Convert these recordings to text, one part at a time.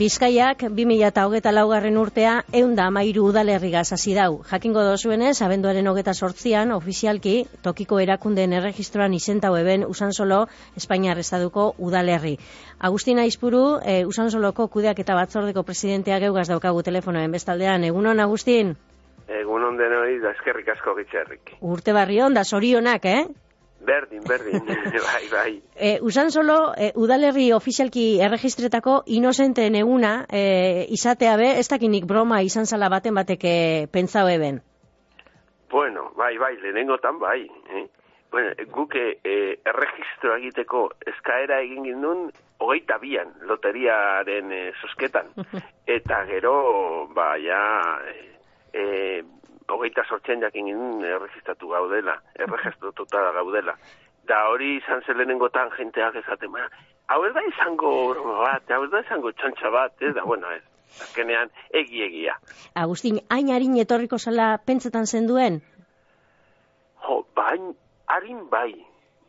Bizkaiak 2024. urtea 113 udalerrigaz hasi dau. Jakingo dozuenez, abenduaren 28an ofizialki tokiko erakundeen erregistroan izentau eben Usansolo Espainiar Estaduko udalerri. Agustin Aizpuru, Usansoloko kudeaketa batzordeko presidentea geugaz daukagu telefonoen bestaldean. Egunon, Agustin? Egunon denoi, da eskerrik asko gitxerrik. Urte barri on, da zorionak, Berdin, bai. Usansolo udalerri ofizialki erregistretako inozenten eguna izatea be, ez dakinik broma izan zala baten bateke pentsau eben. Bueno, bai, lehenengotan bai. Bueno, guke erregistroa egiteko eskaera egin gindun 22an loteriaren zozketan. Eta gero, ja... 28 jakin ginen erregistratu gaudela, erregistratuta gaudela. Da hori izan zelenengotan jenteak esaten, hau ez da izango bat, hau ez da izango txantxa bat, da, bueno, ez, azkenean egia. Agustin, hain harin etorriko zala pentsetan zenduen? Jo, harin bai,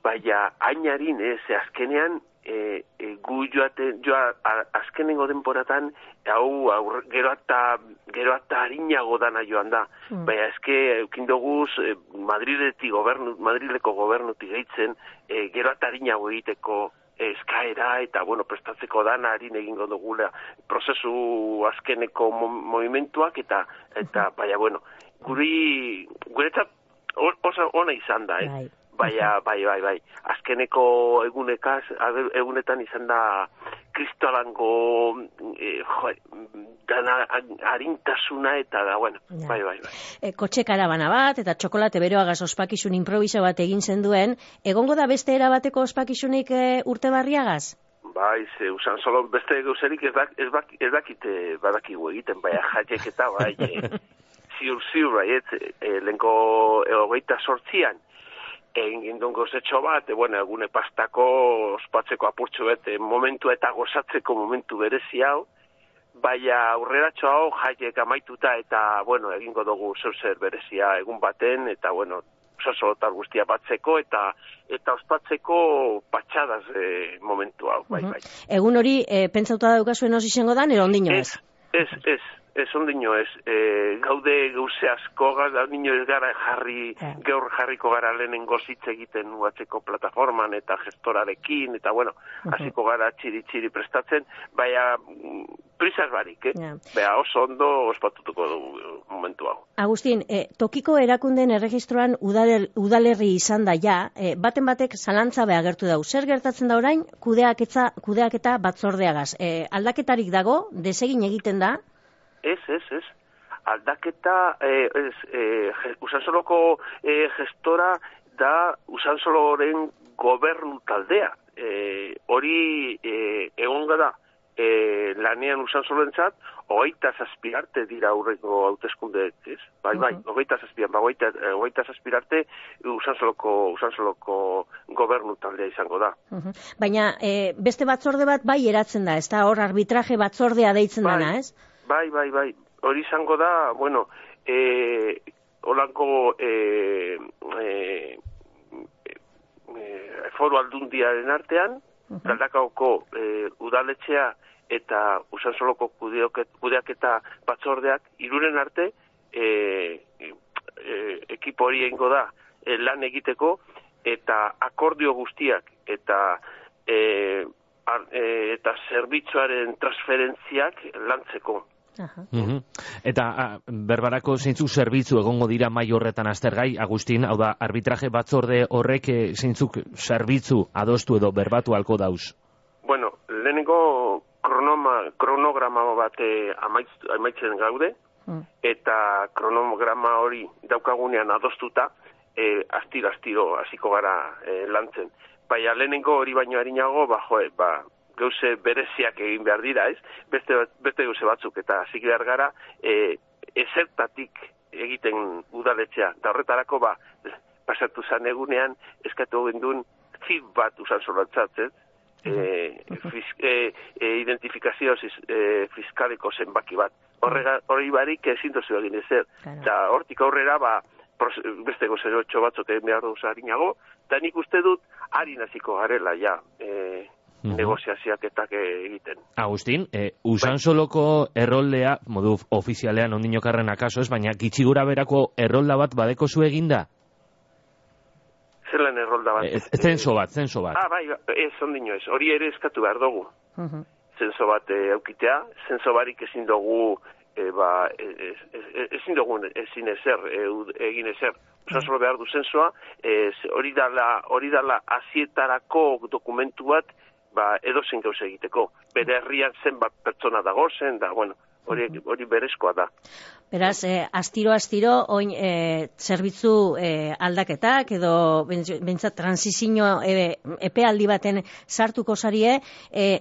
baina hain harin ez, azkenean gu azkenengo denporatan hau gero eta harinago dana joan da. Baina eske eukindoguz Madrileko gobernutik gehitzen gero eta harinago egiteko eskaera eta prestatzeko dana harin egingo dugula prozesu azkeneko movimentuak eta baina guretzat oso ona izan da, Bai. Azkeneko egunetan izan da kristolango dana harintasuna eta da, bai. Kotxe karabana bat eta txokolate beroagaz ospakizun improviso bat egin zenduen, egongo da beste erabateko ospakizunik urte barriagaz? Bai, Usansolo beste gauzerik ez dakite badakigu egiten, bai, jaiek eta bai, ziur, bai, lehenko 28an, egin gindun gozetxo bat, egune pastako ospatzeko apurtxo bet, momentua eta gozatzeko momentu berezi hau, baina aurreratxo hau jaiek amaituta eta, egingo dugu zer berezia egun baten, eta, Usansolotar guztia batzeko eta ospatzeko patxadaz momentu hau, bai. Egun hori, pentsauta daukazuen oso izango dan, ero ondino ez? Ez ondino ez, gaude gauze asko, ondino ez gara gaur jarriko gara lehenengo zitze egiten uatzeko plataforman eta gestorarekin, eta hasiko gara txiri prestatzen, baina prisas barik, Baina oso ondo ospatutuko du momentu hau. Agustin, tokiko erakunden erregistroan udalerri izan da ja, baten batek zalantza agertu dau. Zer gertatzen da orain kudeaketa batzordeagaz? Aldaketarik dago, desegin egiten da? Ez. Aldaketa, Usansoloko gestora da Usansoloren gobernu taldea. Hori egonga da lanean Usansolorentzat 27 arte dira aurreko hauteskundeek, ez? Bai, 27 arte Usansoloko gobernu taldea izango da. Baina beste batzorde bat bai eratzen da, ez da hor arbitraje batzordea deitzen dana, ez? Bai. Hori izango da, holanko foru aldundiaren artean, Galdakaoko udaletxea eta Usansoloko kudeaketa batzordeak iruren arte ekipo hori egingo da lan egiteko eta akordio guztiak eta zerbitzuaren transferentziak lantzeko. Eta berbarako zeintzuk zerbitzu egongo dira mai horretan aztergai, Agustin, hau da, arbitraje batzorde horrek zeintzuk zerbitzu adostu edo berbatu halko dauz? Lehenengo kronograma bat amaitzen gaude, eta kronograma hori daukagunean adostuta, astiro hasiko gara lantzen. Baina lehenengo hori baino harinago, gauze bereziak egin behar dira, ez? Beste gauze batzuk, eta hasi behar gara ezertatik egiten udaletxea. Da horretarako, pasatu zan egunean, eskatu gendun zip bat Usansolorentzat, ez? Identifikazio fiskaleko zenbaki bat. Hori barik ezin dozu egin ezer. Eta hortik aurrera, beste gozerotxo batzuk egin behar duz harinago, eta nik uste dut harin hasiko garela, negoziazioak eta egiten. Agustin, Usansoloko erroldea, modu ofizialean ondinokarren akaso ez, baina gitxigura berako errolda bat badeko zu eginda? Zelan errolda bat? Zenso bat. Bai, ez ondino ez, hori ere eskatu behar dugu. Zenso bat eukitea, zenso barik ezin dugu, ezin ezer, egin ezer. Usansolo behar du zensoa, hori dala azietarako dokumentu bat, edozen gauz egiteko. Bere herrian zenbat pertsona dago zen, da, bueno, hori berezkoa da. Beraz, astiro, oin zerbitzu aldaketak edo bentsat transizio epealdi baten sartuko zarie,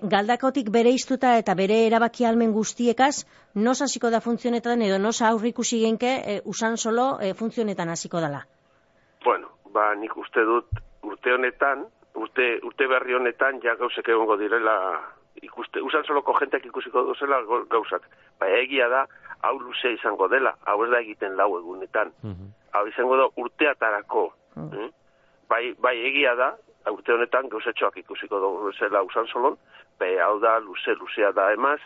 Galdakotik bere iztuta eta bere erabaki almen guztiekaz, nos hasiko da funtzionetan edo nos aurrikusi genke Usansolo funtzionetan hasiko dela? Bueno, nik uste dut urte honetan, urte berri honetan ja gauzek egongo direla ikuste. Usansoloko jenteak ikusiko duzela gauzak. Egia da, hau luze izango dela, hau ez da egiten lau egunetan. Hau izango da urteatarako. Bai egia da, urte honetan gauzetxoak ikusiko duzela Usansolon, hau da luzea da emaz,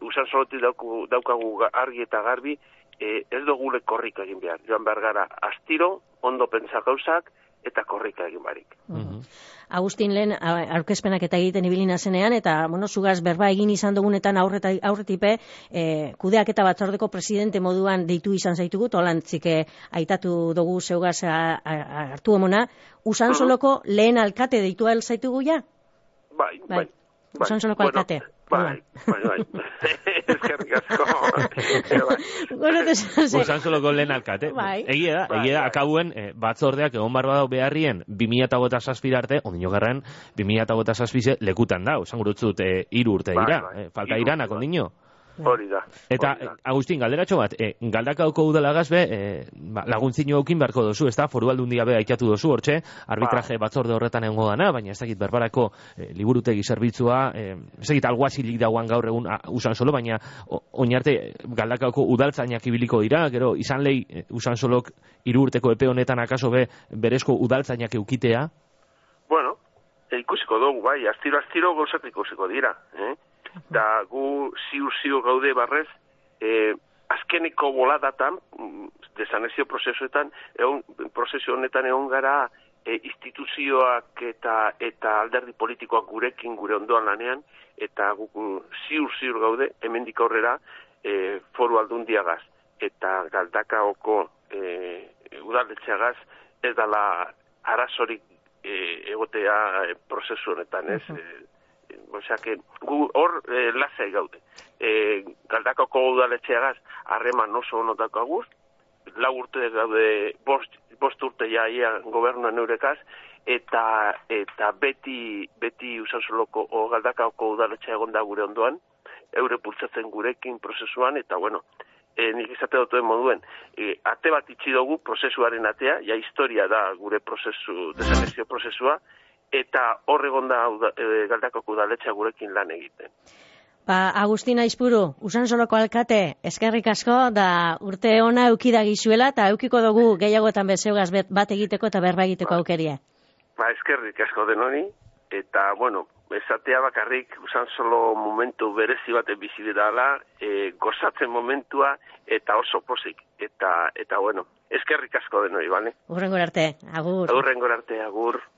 Usansolotik daukagu argi eta garbi, ez dugule korrika egin behar. Joan behar gara astiro, ondo pentsa gauzak, eta korrika egin barik. Agustin, lehen aurkezpenak eta egiten ibilina zenean, eta, zugaz berba egin izan dugunetan aurretipe, kudeaketa batzordeko presidente moduan deitu izan zaitugu, tolantzik aitatu dugu zeugaz hartu emona, Usansoloko lehen alkate deitu ahal zaitugu ja? Bai. Usansoloko alkate. Bai. Eskerrik asko. Usansoloko lehen alkate. Egia da, akabuen batzordeak egon barba beharrien 2007 arte, ondino garran 2007 lekutan da, esan gurutzut 3 urte dira, falta iranak ondino. Hori da. Eta, Agustin, galderatxo bat, Galdakaoko udalagaz laguntzino eukin beharko dozu, ez da, Foru Aldundia be aitatu dozu, hortxe, arbitraje batzorde horretan egongo dana, baina ez dakit berbarako liburutegi zerbitzua, ez dakit alguazilik dagoan gaur egun Usansolo, baina oinarte Galdakaoko udaltzainak ibiliko dira, gero, izan lehi Usansolok 3 urteko epe honetan akaso berezko udaltzainak eukitea? Bueno, ikusiko dugu, bai, astiro gauzak ikusiko dira, da gu ziur gaude barrez, azkeneko boladatan, desanezio prozesuetan, prozesu honetan egon gara instituzioak eta alderdi politikoak gurekin, gure ondoan lanean, eta gu ziur gaude, hemendik aurrera, Foru Aldundiagaz eta Galdakaoko udaletxeagaz, ez dala arazorik egotea prozesu honetan, ez? Osea, gu hor lasai gaude. Galdakako udaletxeagaz harreman oso ono daukaguz, 4 urte gaude, 5 urte jaia gobernuan eurekaz, eta beti Usansoloko o Galdakako udaletxea egon da gure ondoan, eure pultzatzen gurekin prozesuan, eta bueno, nik izate dutuen moduen, ate bat itxi dugu prozesuaren atea, ja historia da gure desanezio prozesua, eta horregon da Galdakako udaletxea gurekin lan egiten. Agustin Aizpuru, Usansoloko alkate, eskerrik asko, da urte ona eukidagizuela, eta eukiko dugu gehiagoetan bezeugaz bat egiteko eta berba egiteko aukeria. Eskerrik asko denoni, eta, bueno, esatea bakarrik Usansolo momentu berezi baten bizi dela, gozatzen momentua, eta oso pozik. Eta bueno, eskerrik asko denoi, bale? Hurrengora arte, agur. Hurrengora arte, agur.